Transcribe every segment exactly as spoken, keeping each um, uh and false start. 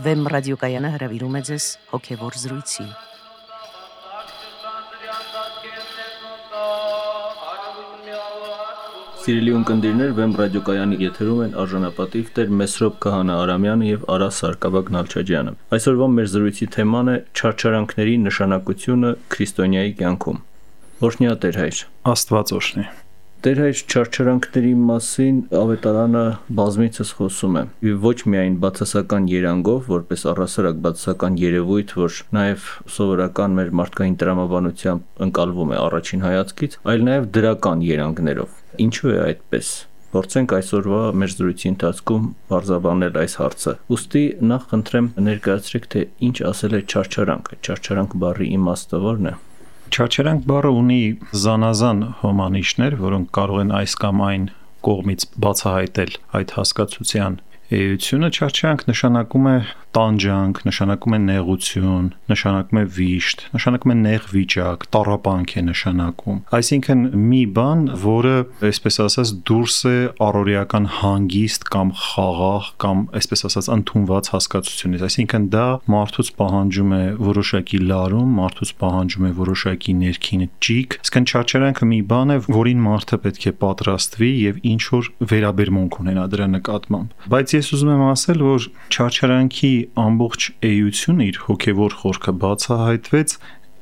Վեմ ռադիոկայանը հրավիրում է ձեզ հոգևոր զրույցի։ Սիրելի ունկնդիրներ, Վեմ ռադիոկայանի եթերում են արժանապատիվ Տեր Մեսրոպ Քահանա Արամյանը եւ Արա Սարգսակ Նալչաջյանը։ Այսօրվա մեր զրույցի թեման է չարչարանքների նշանակությունը քրիստոնյայի կյանքում։ Օրհնյա Տեր հայր։ Աստված օրհնի։ Տեր հայր, չարչարանքների մասին Ավետարանը բազմիցս խոսում է, ոչ միայն բացասական երանգով, որպես առհասարակ բացասական երևույթ, որ նաև սովորական մեր մարդկային տրամաբանությամբ ընկալվում է առաջին հայացքից, այլ նաև դրական երանգներով։ Ինչու է այդպես։ Փորձենք այսօրվա մեր զրույցի ընթացքում բարձրաբանել այս հարցը։ Ուստի նախ խնդրեմ ներկայացրեք, թե ինչ ասել է չարչարանք, չարչարանք բառի իմաստը ո՞րն է։ Չարչարանք բառը ունի զանազան հոմանիշներ, որոնք կարող են այս կամ այն կողմից բացահայտել այդ հասկացության էությունը։ Չարչարանք նշանակում է տանջանք, նշանակում է նեղություն, նշանակում է վիշտ, նշանակում է նեղ վիճակ, տառապանք է նշանակում։ Այսինքն մի բան, որը, այսպես ասած, դուրս է առօրեական հանգիստ կամ խաղաղ կամ այսպես ասած ընդունված հասկացությունից։ Այսինքն դա մարդուց պահանջում է որոշակի լարում, մարդուց պահանջում է որոշակի ներքին ճիգ։ Իսկն չարչարանքը մի բան է, որին մարդը պետք է պատրաստվի եւ ինչ որ վերաբերմունք ունենա դրա նկատմամբ։ Բայց ես ուզում եմ ասել, որ չարչարանքի ամբողջ էությունը իր հոգևոր խորքը բացահայտվեց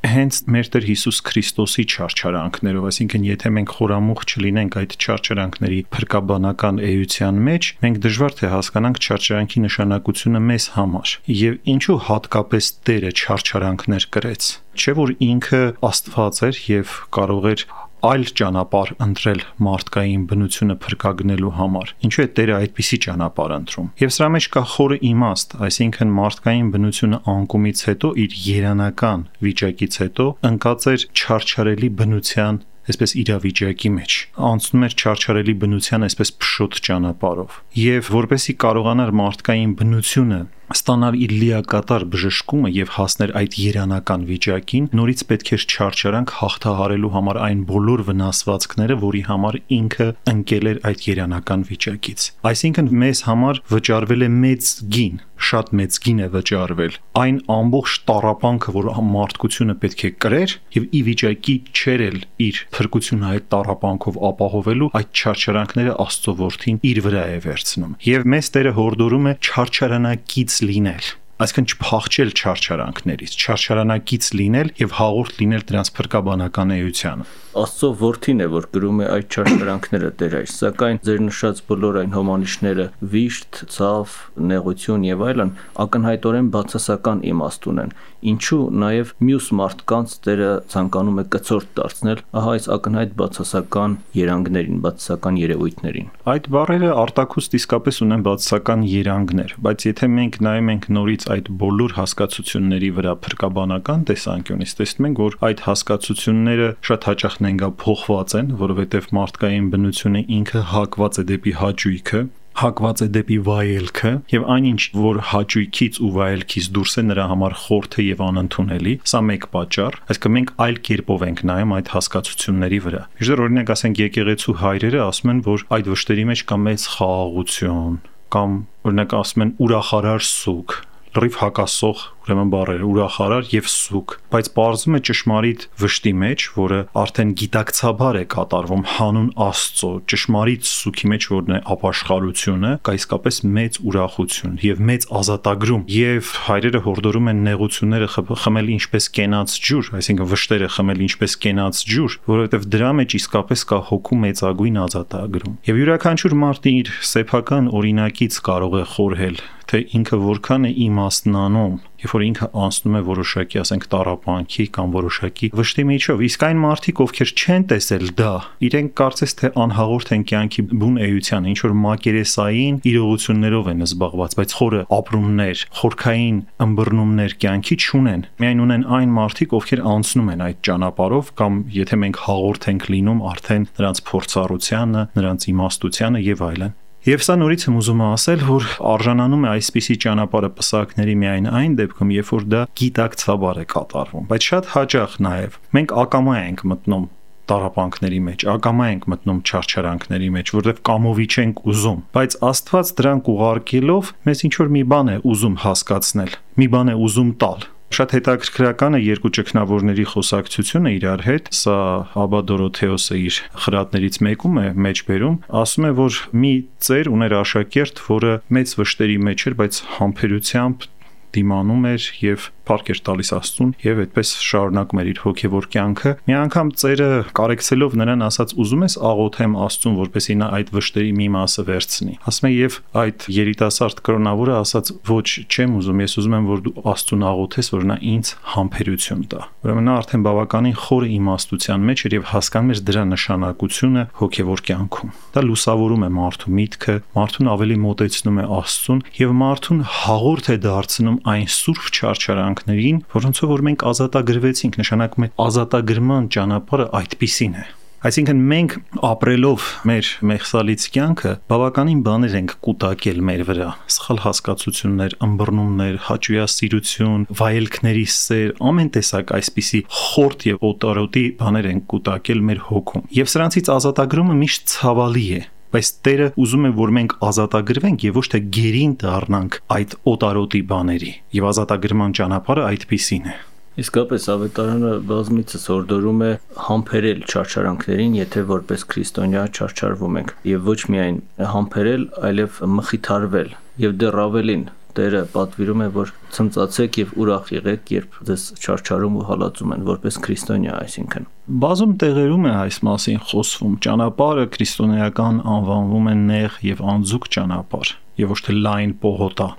հենց մեր Տեր Հիսուս Քրիստոսի չարչարանքներով, այսինքն եթե մենք խորամուխ չլինենք այդ չարչարանքների փրկաբանական էության մեջ, մենք դժվար թե հասկանանք չարչարանքի նշանակությունը մեզ համար եւ ինչու հատկապես Տերը չարչարանքներ կրեց։ Չէ՞ որ ինքը Աստված էր եւ կարող էր այլ ճանապարհ ընտրել մարդկային բնությունը փրկագնելու համար։ Ինչու է Տերը այդպիսի ճանապարհ ընտրում։ Եվ սրա մեջ կա խորը իմաստ, այսինքն մարդկային բնությունը անկումից հետո իր երանական վիճակից հետո ընկած էր չարչարելի բնության այսպես իրավիճակի մեջ, անցնում էր չարչարելի բնության այսպես փշոտ ճանապարհով։ Եվ որպեսզի կարողանար մարդկային բնությունը ստանալ իր լիակատար բժշկումը եւ հասներ այդ երանական վիճակին, նորից պետք էր չարչարանք հաղթահարելու համար այն բոլոր վնասվածքները, որի համար ինքը ընկել էր այդ երանական վիճակից։ Այսինքն մեզ համար վճարվել է մեծ գին, շատ մեծ գին է վճարվել։ Այն ամբողջ տառապանքը, որ մարդկությունը պետք է կրեր եւ ի վիճակի չէր էլ իր փրկությունը այդ տառապանքով ապահովելու, այդ չարչարանքները Աստծո որդին իր վրա է վերցնում։ Եվ մեզ Տերը հորդորում է չարչարանակից լինել, այսինքն չփախչել չարչարանքներից, չարչարանակից լինել եւ հաղորդ լինել դրանց փրկաբանական էությանը։ Աստծո որդին է, որ գրում է այդ չարչարանքները Տեր այր, սակայն ձեր նշած բոլոր այն հոմանիշները՝ վիշտ, ցավ, նեղություն եւ այլն, ակնհայտորեն բացասական իմաստ ունեն։ Ինչու նաեւ մյուս մարդկանց Տերը ցանկանում է կցորդ դարձնել ահա այս ակնհայտ բացասական երանգներին, բացասական երևույթներին։ Այդ բառերը արտաքուստ իսկապես ունեն բացասական երանգներ, բայց եթե մենք նայում ենք նորից այդ բոլոր հասկացությունների վրա փրկաբանական տեսանկյունից, տեսնում ենք, որ այդ հասկացությունները շատ հաճախ նենգափոխված են, որովհետև մարդկային բնությունը ինքը հակված է դեպի հաճույքը, հակված է դեպի վայելքը եւ այնինչ որ հաճույքից ու վայելքից դուրս է նրա համար խորթ է եւ անընդունելի, սա մեկ պատճառ, այսինքն մենք այլ կերպով ենք նայում այդ հասկացությունների վրա։ Իհարկե օրինակ ասենք եկեղեցու հայրերը ասում են, որ այդ վշտերի մեջ կա մեծ խաղաղություն, կամ օրինակ ասում են ուրախարար սուգ, լրիվ հակասող ուրեմն բառեր ուրախարար եւ սուգ, բայց պարզվում է ճշմարիտ վշտի մեջ, որը արդեն գիտակցաբար է կատարվում հանուն Աստծո, ճշմարիտ սուգի մեջ, որն է ապաշխարությունը, կա իսկապես մեծ ուրախություն եւ մեծ ազատագրում, եւ հայրերը հորդորում են նեղությունները խմել ինչպես կենաց ջուր, այսինքն վշտերը խմել ինչպես կենաց ջուր, որովհետեւ դրա մեջ իսկապես կա հոգու մեծագույն ազատագրում։ Եվ յուրաքանչյուր մարդ իր սեփական օրինակից կարող է խորհել, թե ինքը որքան է իմաստնանում, երբ որ ինքը անցնում է որոշակի, ասենք, տառապանքի կամ որոշակի վշտի միջով, իսկ այն մարդիկ, ովքեր չեն տեսել դա, իրենք կարծես թե անհաղորդ են կյանքի բուն էության, ինչ որ մակերեսային իրողություններով են զբաղված, բայց խորը ապրումներ, խորքային ըմբռնումներ կյանքի չունեն։ Միայն ունեն այն մարդիկ, ովքեր անցնում են այդ ճանապարհով, կամ եթե մենք հաղորդ ենք լինում արդեն նրանց փորձառությանը, նրանց իմաստությանը եւ այլն։ Եվ սա նորից եմ ուզում ասել, որ արժանանում է այսպիսի ճանապարհը պսակների միայն այն դեպքում, երբ որ դա գիտակցաբար է կատարվում, բայց շատ հաճախ նաև մենք ակամա ենք մտնում տառապանքների մեջ, ակամա ենք մտնում չարչարանքների մեջ, որովհետև կամովի չենք ուզում, բայց Աստված դրանք ուղարկելով մեզ ինչ որ մի բան է ուզում հասկացնել, մի բան է ուզում տալ։ Շատ հետաքրքրական է երկու ճգնավորների խոսակցությունը իրար հետ, սա Աբա Դորոթեոսը իր խրատներից մեկում է մեջ բերում, ասում է, որ մի ծեր ուներ աշակերտ, որը մեծ վշտերի մեջ էր, բայց համբերությամբ դիմանում էր եւ փառք էր տալիս Աստծուն եւ այդպես շարունակում էր իր հոգեվոր կյանքը։ Մի անգամ ծերը կարեկցելով նրան ասաց՝ ուզում ես աղոթեմ Աստծուն, որպեսզի նա այդ վշտերի մի մասը վերցնի։ Ասում է եւ այդ երիտասարդ կրոնավորը ասաց՝ ոչ, չեմ ուզում, ես ուզում եմ, որ դու Աստծուն աղոթես, որ նա ինձ համբերություն տա։ Ուրեմն նա արդեն բավականին խորը իմաստության մեջ էր եւ հասկանում էր դրա նշանակությունը հոգեվոր կյանքում։ Դա լուսավորում է մարդու միտքը, մարդուն ավելի մոտեցնում է Աստծուն եւ մարդուն հաղորդ է դարձնում այն սուրբ չարչարանքներին, որոնցով որ մենք ազատագրվեցինք, նշանակում է ազատագրման ճանապարհը այդպիսին է։ Այսինքն մենք ապրելով մեր մեղսալից կյանքը բավականին բաներ ենք կուտակել մեր վրա, սխալ հասկացություններ, ըմբռնումներ, հաճույասիրություն, վայելքների սեր, ամեն տեսակ այսպիսի խորտ եւ օտարոտի բաներ ենք կուտակել մեր հոգում։ Եվ սրանցից ազատագրումը միշտ ցավալի է, բայց Տերը ուզում է, որ մենք ազատագրվենք եւ ոչ թե գերին դառնանք այդ օտարոտի բաների։ Եվ ազատագրման ճանապարհը այդպիսին է։ Իսկապես ավետարանը բազմիցս հորդորում է համբերել չարչարանքներին, եթե որպես քրիստոնյա չարչարվում ենք, եւ ոչ միայն համբերել, այլև մխիթարվել, եւ դեռ ավելին Տերը պատվիրում է, որ ցնծացեք եւ ուրախ եղեք, երբ ձեզ չարչարում ու հալածում են, որպես քրիստոնյա, այսինքն։ Բազում տեղերում է այս մասին խոսվում։ Ճանապարհը քրիստոնեական անվանվում է նեղ եւ անձուկ ճանապարհ, եւ ոչ թե լայն պողոտա,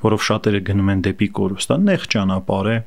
որով շատերը գնում են դեպի կորուստ, դա նեղ ճանապարհ է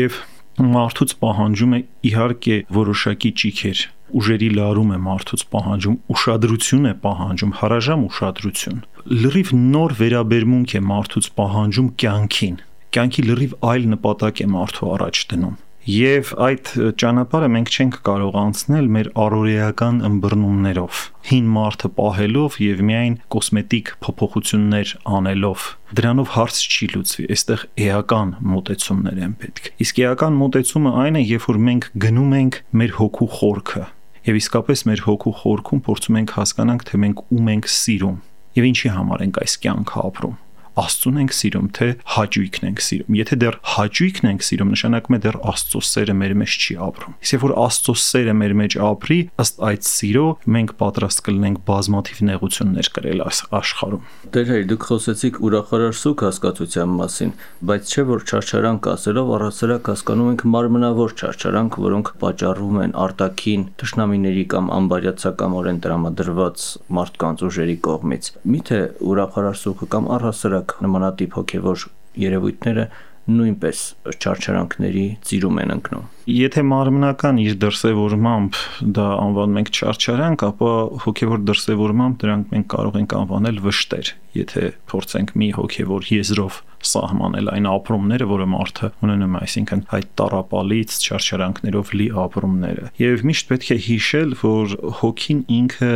եւ մարդուց պահանջում է իհարկե որոշակի ճիգեր, ուժերի լարում է մարդուց պահանջում, ուշադրություն է պահանջում, հարաժամ ուշադրություն։ Լրիվ նոր վերաբերմունք է մարդուց պահանջում կյանքին։ Կյանքի լրիվ այլ նպատակ է մարդու առաջ դնում։ Եվ այդ ճանապարհը մենք չենք կարող անցնել մեր առօրեական ըմբռնումներով, հին մարդը պահելով եւ միայն կոսմետիկ փոփոխություններ անելով։ Դրանով հարց չի լուծվի, այստեղ էական մոտեցումներ են պետք։ Իսկ էական մոտեցումը այն է, երբ որ մենք գնում ենք մեր հոգու խորքը, եւ իսկապես մեր հոգու խորքում փորձում ենք հասկանանք, թե մենք ում ենք սիրում եւ ինչի համար ենք այս կյանքը ապրում։ Աստծուն ենք սիրում, թե հաճույքն ենք սիրում։ Եթե դեռ հաճույքն ենք սիրում, նշանակում է դեռ Աստծո սերը մեր մեջ չի ապրում։ Իսկ որ Աստծո սերը մեր մեջ ապրի, ըստ այդ սիրո մենք պատրաստ կլինենք բազմաթիվ նեղություններ կրել այս աշխարհում։ Տեր, դուք խոսեցիք ուրախարար սուք հասկացության մասին, բայց չէ որ չարչարանք ասելով առասարակ հասկանում ենք մարմնավոր չարչարանք, որոնք պատճառվում են արտաքին թշնամիների կամ անբարյացակամորեն տրամադրված մարդկանց ուժերի կողմից։ Միթե ուրախարար սուքը կամ առասարակ նմանատիպ հոգևոր երևույթները նույնպես չարչարանքների ծիրում են ընկնում։ Եթե մարմնական իր դրսևորմամբ դա անվանում ենք չարչարանք, ապա հոգևոր դրսևորմամբ դրանք մենք կարող ենք անվանել վշտեր, եթե փորձենք մի հոգևոր եզրով սահմանել այն ապրումները, որը մարդը ունենում է, այսինքն այդ տառապալից չարչարանքներով լի ապրումները։ Եվ միշտ պետք է հիշել, որ հոգին ինքը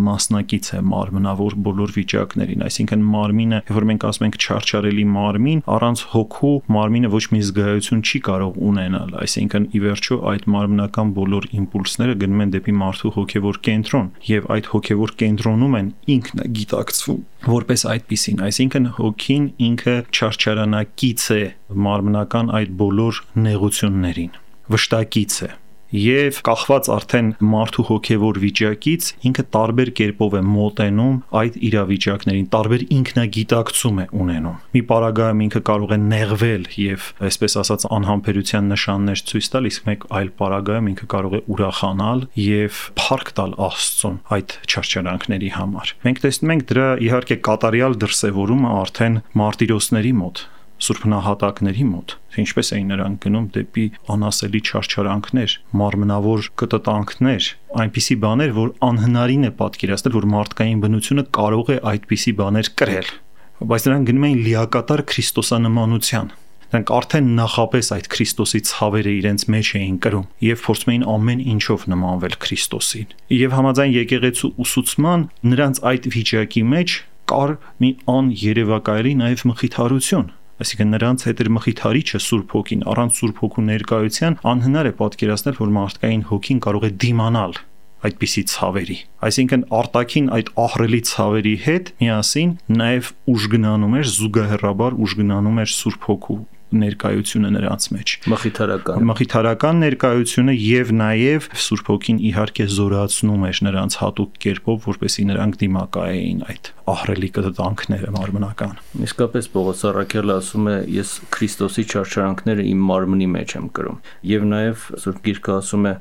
մասնակից է մարմնավոր բոլոր վիճակներին, այսինքն մարմինը, որ մենք ասում ենք չարչարելի մարմին, առանց հոգու մարմինը ոչ մի զգայություն չի կարող ունենալ, այսինքն ի վերջո այդ մարմնական բոլոր իմպուլսները գնում են դեպի մարդու հոգևոր կենտրոն, եւ այդ հոգևոր կենտրոնում են ինքնագիտակցվում որպես այդպիսին, այսինքն հոգին ինքը չարչարանակից է մարմնական այդ բոլոր նեղություններին, վշտակից է։ Եվ կախված արդեն մարդու հոգևոր վիճակից ինքը տարբեր կերպով է մոտենում այդ իրավիճակներին, տարբեր ինքնագիտակցում է ունենում։ Մի պարագայում ինքը կարող է նեղվել եւ այսպես ասած անհամբերության նշաններ ցույց տալ, իսկ մեկ այլ պարագայում ինքը կարող է ուրախանալ եւ փառք տալ Աստծուն այդ չարչարանքների համար։ Մենք տեսնում ենք դրա իհարկե կատարյալ դրսևորումը արդեն մարտիրոսների մոտ, սուրբ նահատակների մոտ, թե ինչպես էին նրանք գնում դեպի անասելի չարչարանքներ, մարմնավոր կտտանքներ, այնպիսի բաներ, որ անհնարին է պատկերացնել, որ մարդկային բնությունը կարող է այդպիսի բաներ կրել, բայց նրանք գնում էին լիակատար քրիստոսանմանության։ Նրանք արդեն նախապես այդ Քրիստոսի ցավերը իրենց մեջ էին կրում եւ փորձում էին ամեն ինչով նմանվել Քրիստոսին։ Եվ համաձայն եկեղեցու ուսուցման նրանց այդ վիճակի մեջ կար մի աներևակայելի նաեւ մխիթարություն, Այսինքն նրանց հետ էր մխիթարիչը Սուրբ Հոգին, առանց Սուրբ Հոգու ներկայության անհնար է պատկերացնել, որ մարդկային հոգին կարող է դիմանալ այդպիսի ցավերի։ Այսինքն արտաքին այդ ահռելի ցավերի հետ միասին նաև ուժգնանում էր, զուգահեռաբար ուժգնանում էր Սուրբ Հոգու ներկայությունը նրանց մեջ, մխիթարական մխիթարական ներկայությունը եւ նաեւ Սուրբ Հոգին իհարկե զորացնում էր նրանց հատուկ կերպով, որպեսզի նրանք դիմակայեին այդ ահռելի կտտանքները մարմնական։ Իսկապես Պողոս առաքյալը ասում է, ես Քրիստոսի չարչարանքները իմ մարմնի մեջ եմ կրում, եւ նաեւ Սուրբ Գիրքը ասում է,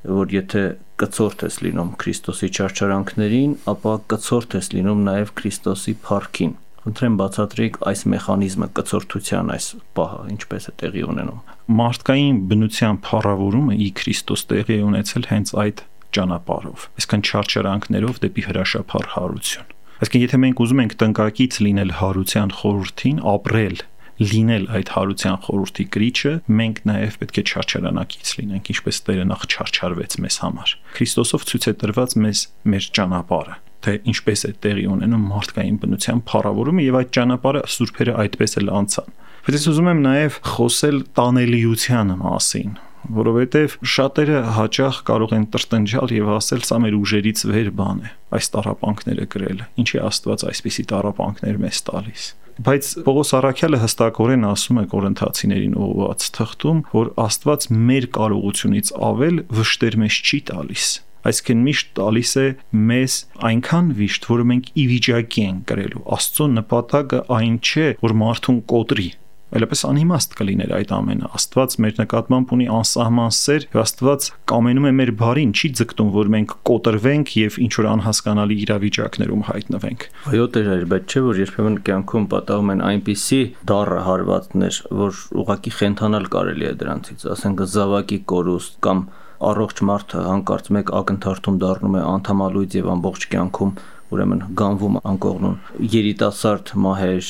որ եթե կցորդ ես լինում Քրիստոսի չարչարանքներին, ապա կցորդ ես լինում նաեւ Քրիստոսի փառքին։ Խնդրեմ բացատրեք այս մեխանիզմը, կցորդության այս պահը ինչպես է տեղի ունենում։ Մարդկային բնության փառավորումը ի Քրիստոս տեղի է ունեցել հենց այդ ճանապարհով, այսինքն չարչարանքներով դեպի հրաշափառ հարություն։ Այսինքն եթե մենք ուզում ենք տնկակից լինել հարության խորհրդին, ապրել, լինել այդ հարության խորհրդի կրիչը, մենք նաև պետք է չարչարանակից լինենք, ինչպես Տերը նախ չարչարվեց մեզ համար։ Քրիստոսով ցույց է տրված մեզ մեր ճանապարհը, թե ինչպես է տեղի ունենում մարդկային բնության փառավորումը, եւ այդ ճանապարհը սուրբերը այդպես էլ անցան։ Բայց ես ուզում եմ նաև խոսել տանելիության մասին, որովհետև շատերը հաճախ կարող են տրտնջալ եւ ասել, սա մեր ուժերից վեր բան է, այս տառապանքները կրելը, ինչի Աստված այսպիսի տառապանքներ մեզ տալիս։ Բայց Պողոս առաքյալը հստակորեն ասում է Կորինթացիներին ուղղված թղթում, որ Աստված մեր կարողությունից ավել վշտեր մեզ չի տալիս, այսինքն միշտ տալիս է մեզ այնքան վիշտ, որը մենք ի վիճակի ենք կրելու։ Աստծո նպատակը այն չէ, որ մարդուն կոտրի, այլապես անիմաստ կլիներ այդ ամենը։ Աստված մեր նկատմամբ ունի անսահման սեր, եւ Աստված կամենում է մեր բարին, չի ձգտում, որ մենք կոտրվենք եւ ինչ որ անհասկանալի իրավիճակներում հայտնվենք։ Այո, Տեր, բայց չէ որ երբեմն կյանքում պատահում են այնպիսի դառը հարվածներ, որ ուղղակի խենթանալ կարելի է դրանցից, ասենք զավակի կորուստ կամ առողջ մարդը հանկարծ մեկ ակնթարթում դառնում է անդամալույց եւ ամբողջ կյանքում ուրեմն գանվում անկողնուն, երիտասարդ մահեր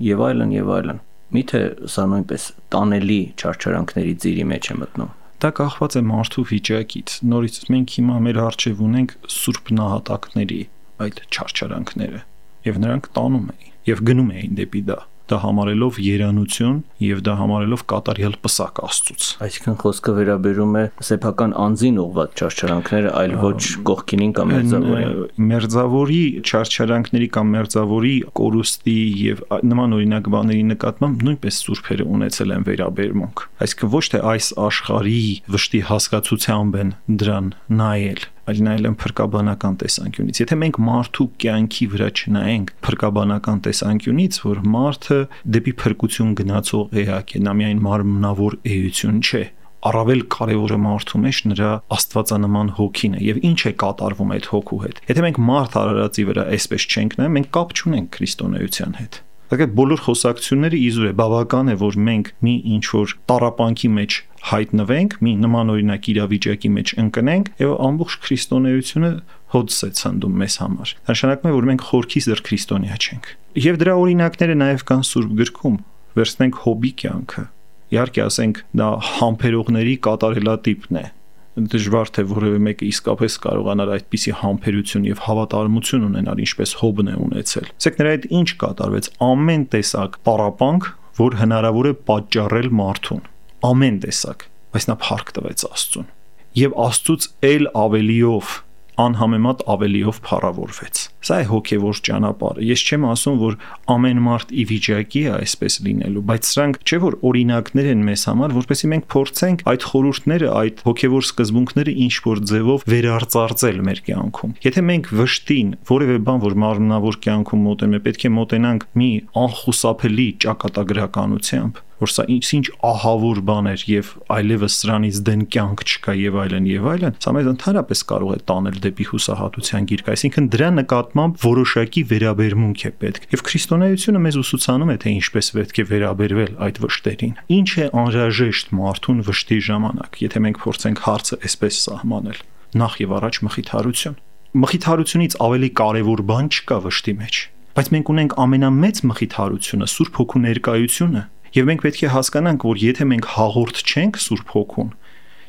եւ այլն եւ այլն։ Միթե սա նույնպես տանելի չարչարանքների ծիրի մեջ է մտնում։ Դա կախված է մարդու վիճակից։ Նորից մենք հիմա մեր առջև ունենք սուրբ նահատակների այդ չարչարանքները, եւ նրանք տանում էին եւ գնում էին դեպի դա։ Դա համարելով երանություն եւ դա համարելով կատարյալ պսակ Աստծուց։ Այսինքն խոսքը վերաբերում է սեփական անձին ուղղված չարչարանքները, այլ ոչ կողքինին կամ մերձավորին։ Մերձավորի չարչարանքների կամ մերձավորի կորուստի եւ նման օրինակ բաների նկատմամբ նույնպես սուրբերը ունեցել են վերաբերմունք։ Այսինքն ոչ թե այս աշխարհի վշտի հասկացությամբ են դրան նայել, այլ նայել են փրկաբանական տեսանկյունից։ Եթե մենք մարդու կյանքի վրա չնայենք փրկաբանական տեսանկյունից, որ մարդը դեպի փրկություն գնացող էակ է, նա միայն մարմնավոր էություն չէ, առավել կարևորը մարդու մեջ նրա աստվածանման հոգին է եւ ինչ է կատարվում այդ հոգու հետ։ Եթե մենք մարդ արարածի վրա այսպես չենք նայում, մենք կապ չունենք քրիստոնեության հետ։ Այդ բոլոր խոսակցությունները իզուր է, բավական է, որ մենք մի ինչ-որ տառապանքի մեջ հայտնվենք, մի նմանօրինակ իրավիճակի մեջ ընկնենք եւ ամբողջ քրիստոնեությունը հոդս է ցնդում մեզ համար։ Դա նշանակում է, որ մենք խորքի զր քրիստոնյա չենք։ Եվ դրա օրինակները նաեւ կան Սուրբ գրքում։ Վերցնենք Հոբի կյանքը։ Իհարկե, ասենք, դա համբերողների կատարելատիպն է։ Դժվար թե որևէ մեկը իսկապես կարողանար այդպիսի համբերություն եւ հավատարմություն ունենալ, ինչպես Հոբն է ունեցել։ Ասեք, նրա հետ ինչ կատարվեց։ Ամեն տեսակ տառապանք, որ հնարավոր է պատճառել մարդուն, ամեն տեսակ, բայց նա փառք տվեց Աստծուն եւ Աստծուց ել ավելիով, անհամեմատ ավելիով փառավորվեց։ Սա է հոգևոր ճանապարհը։ Ես չեմ ասում, որ ամեն մարդ ի վիճակի է այսպես լինելու, բայց սրանք չէ որ օրինակներ են մեզ համար, որպեսզի մենք փորձենք այդ խորհուրդները, այդ հոգևոր սկզբունքները ինչ որ ձևով վերարծարծել մեր կյանքում։ Եթե մենք վշտին որևէ բան, որ մարմնավոր կյանքում մոտենում է, պետք է մոտենանք մի անխուսափելի ճակատագրականությամբ, որ սա ինչ-ինչ ահավոր բան էր եւ այլևս սրանից դեն կյանք չկա եւ այլն եւ այլն, սա մեզ ընդհանրապես կարող է տանել դեպի հուսահատության գիրք, այսինքն դրա նկատմամբ որոշակի վերաբերմունք է պետք։ Եվ քրիստոնեությունը մեզ ուսուցանում է, թե ինչպես պետք է վերաբերվել այդ վշտերին։ Ինչ է անհրաժեշտ մարդուն վշտի ժամանակ, եթե մենք փորձենք հարցը այսպես սահմանել։ Նախ եւ առաջ մխիթարություն։ Մխիթարությունից ավելի կարեւոր բան չկա վշտի մեջ, բայց մենք ունենք ամենամեծ մխիթարությունը, Սուրբ Հոգու ներկայությունը, եւ մենք պետք է հասկանանք, որ եթե մենք հաղորդ չենք Սուրբ Հոգուն,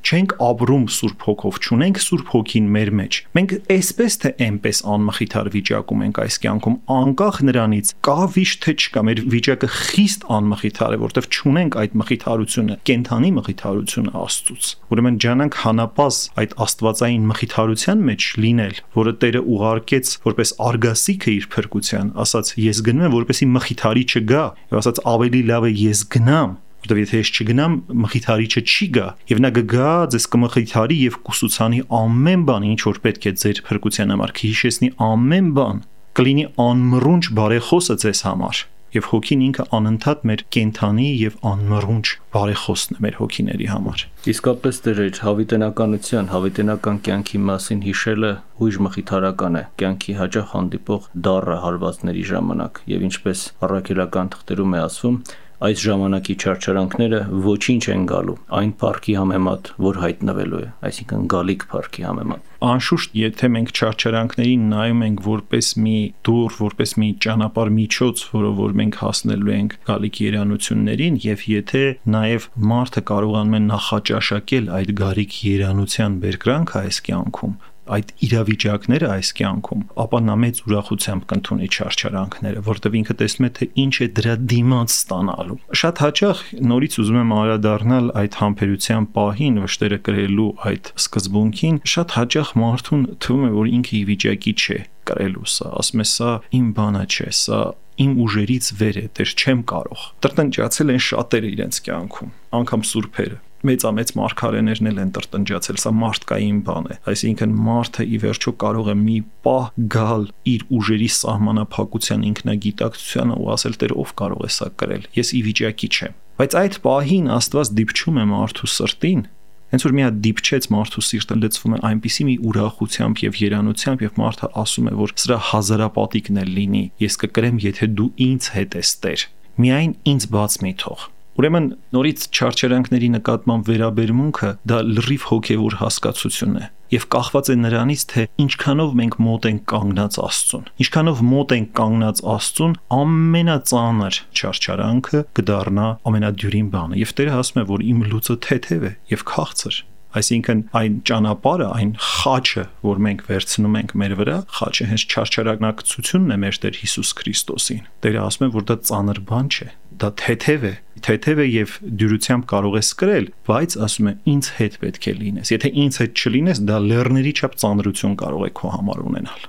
չենք ապրում Սուրբ Հոգով, չունենք Սուրբ Հոգին մեր մեջ։ Մենք այսպես թե այնպես անմխիթար վիճակում ենք այս կյանքում, անկախ նրանից կա վիշտ թե չկա, մեր վիճակը խիստ անմխիթար է, որտեղ չունենք այդ մխիթարությունը, կենթանի մխիթարությունը Աստծուց։ Ուրեմն ջանանք հանապազ այդ աստվածային մխիթարության մեջ լինել, որը Տերը ուղարկեց որպես արգասիքը իր փրկության, ասաց ես գնում եմ, որպեսզի մխիթարի չգա, եւ ասաց ավելի լավ է ես գնամ, որտեղ եթե ես չգնամ, մխիթարիչը չի գա, եւ նա կգա, ձեզ կմխիթարի եւ կուսուցանի ամեն բան, ինչ որ պետք է ձեր փրկության համար, կհիշեցնի ամեն բան, կլինի անմռունչ բարեխոսը ձեզ համար։ Եվ հոգին ինքը անընդհատ մեր կենթանի եւ անմռունչ բարեխոսն է մեր հոգիների համար։ Իսկապես Տեր իր հավիտենականության, հավիտենական կյանքի մասին հիշելը հույժ մխիթարական է կյանքի հաճախ հանդիպող դառը հարվածների ժամանակ, եւ ինչպես առաքելական թղթերում է ասվում, այս ժամանակի չարչարանքները ոչինչ են գալու այն փառքի համեմատ, որ հայտնվելու է, այսինքն գալիք փառքի համեմատ։ Անշուշտ, եթե մենք չարչարանքներին նայում ենք որպես մի դուռ, որպես մի ճանապարհ միջոց, որով որ մենք հասնելու ենք գալիք երանություններին, եւ եթե նաեւ մարդը կարողանում է նախաճաշակել այդ գալիք երանության բերկրանքը այս կյանքում, այդ իրավիճակները այս կյանքում, ապա նա մեծ ուրախությամբ կընդունի չարչարանքները, որտեղ ինքը տեսնում է, թե ինչ է դրա դիմաց ստանալու։ Շատ հաճախ նորից ուզում եմ անդրադառնալ այդ համբերության պահին, վշտերը կրելու այդ սկզբունքին, շատ հաճախ մարդուն թվում է, որ ինքը ի վիճակի չէ կրելու սա, ասում է սա իմ բանը չէ, սա իմ ուժերից վեր է, դեռ չեմ կարող։ Տրտնջացել են շատերը իրենց կյանքում, անգամ սուրբերը։ Մեծամեծ մարգարեներն էլ են տրտնջացել, սա մարդկային բան է, այսինքն մարդը ի վերջո կարող է մի պահ գալ իր ուժերի սահմանափակության ինքնագիտակցությանը ու ասել Տեր ով կարող է սա կրել, ես ի վիճակի չեմ։ Բայց այդ պահին Աստված դիպչում է մարդու սրտին, հենց որ մի հատ դիպչեց մարդու սիրտը լցվում է այնպիսի մի ուրախությամբ եւ երանությամբ եւ մարդը ասում է, որ սրա հազարապատիկն էլ լինի, ես կկրեմ, եթե դու ինձ հետ ես Տեր, միայն ինձ բաց մի թող։ Ուրեմն նորից չարչարանքների նկատմամբ վերաբերմունքը դա լրիվ հոգևոր հասկացություն է եւ կախված է նրանից, թե ինչքանով մենք մոտ ենք կանգնած Աստծուն։ Ինչքանով մոտ ենք կանգնած Աստծուն, ամենածանր չարչարանքը կդառնա ամենադյուրին բանը։ Եվ Տերը ասում է, որ իմ լուծը թեթև է եւ քաղցր։ Այսինքն այն ճանապարհը, այն խաչը, որ մենք վերցնում ենք մեր վրա, խաչը հենց չարչարակցությունն է մեր Տեր Հիսուս Քրիստոսին։ Տերը ասում է, որ դա ծանր բան չէ, դա թեթև է, թեթև է եւ դյուրությամբ կարող ես կրել, բայց ասում է ինձ հետ պետք է լինես։ Եթե ինձ հետ չլինես, դա լեռների չափ ծանրություն կարող է քո համար ունենալ։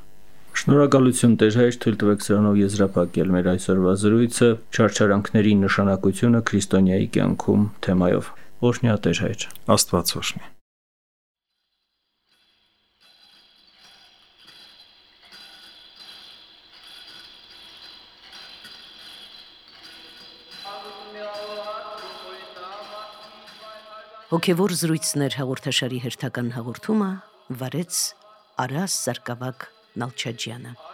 Շնորհակալություն Տեր հայր, թույլ տվեք սրանով եզրափակել մեր այսօրվա զրույցը չարչարանքների նշանակությունը քրիստոնյայի կյանքում թեմայով։ Օրհնյա Տեր հայր։ Աստված օրհնի։ Հոգևոր զրույցներ հաղորդաշարի հերթական հաղորդումը վարեց Արաս Սարգսակ Նալչաջյանը։